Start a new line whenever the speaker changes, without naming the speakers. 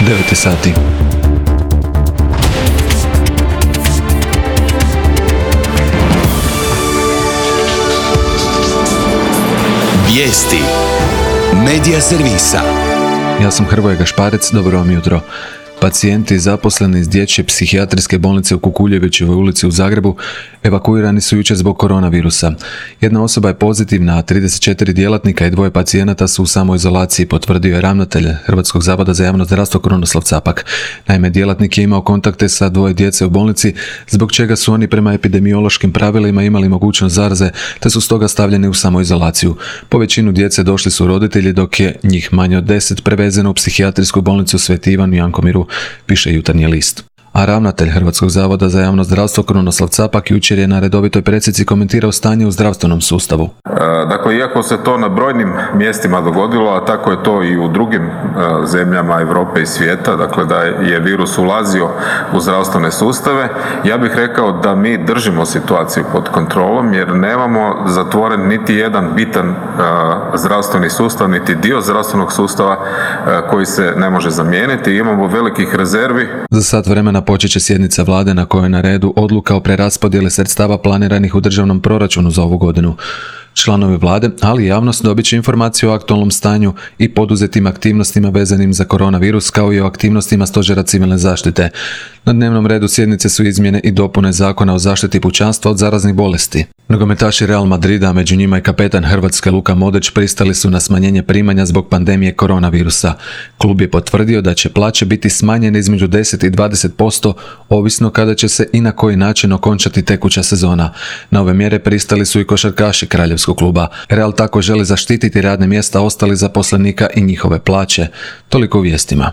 9 sati.
Vijesti Medija servisa.
Ja sam Hrvoje Gašparec, dobro vam jutro. Pacijenti zaposleni iz dječje psihijatrijske bolnice u Kukuljevićevoj ulici u Zagrebu evakuirani su jučer zbog koronavirusa. Jedna osoba je pozitivna, a 34 djelatnika i 2 pacijenata su u samoizolaciji, potvrdio je ravnatelj Hrvatskog zavoda za javno zdravstvo Krunoslav Capak. Naime, djelatnik je imao kontakte sa 2 djece u bolnici, zbog čega su oni prema epidemiološkim pravilima imali mogućnost zaraze, te su stoga stavljeni u samoizolaciju. Po većinu djece došli su roditelji, dok je njih manje od 10 prevezeno u psihijatrijsku bolnicu Sveti Ivan u Jankomiru, piše Jutarnji list. A ravnatelj Hrvatskog zavoda za javno zdravstvo Krunoslav Capak jučer je na redovitoj presici komentirao stanje u zdravstvenom sustavu.
Dakle, iako se to na brojnim mjestima dogodilo, a tako je to i u drugim zemljama Europe i svijeta, dakle da je virus ulazio u zdravstvene sustave, ja bih rekao da mi držimo situaciju pod kontrolom jer nemamo zatvoren niti jedan bitan zdravstveni sustav, niti dio zdravstvenog sustava koji se ne može zamijeniti. Imamo velikih rezervi.
Za sat vremena počet će sjednica vlade na kojoj je na redu odluka o preraspodjeli sredstava planiranih u državnom proračunu za ovu godinu. Članovi vlade, ali i javnost dobit će informaciju o aktualnom stanju i poduzetim aktivnostima vezanim za koronavirus, kao i o aktivnostima Stožera civilne zaštite. Na dnevnom redu sjednice su izmjene i dopune Zakona o zaštiti pučanstva od zaraznih bolesti. Nogometaši Real Madrida, a među njima i kapetan Hrvatske Luka Modrić, pristali su na smanjenje primanja zbog pandemije koronavirusa. Klub je potvrdio da će plaće biti smanjene između 10 i 20%, ovisno kada će se i na koji način okončati tekuća sezona. Na ove mjere pristali su i košarkaši Kraljevskog kluba. Real tako želi zaštititi radne mjesta ostalih zaposlenika i njihove plaće. Toliko u vijestima.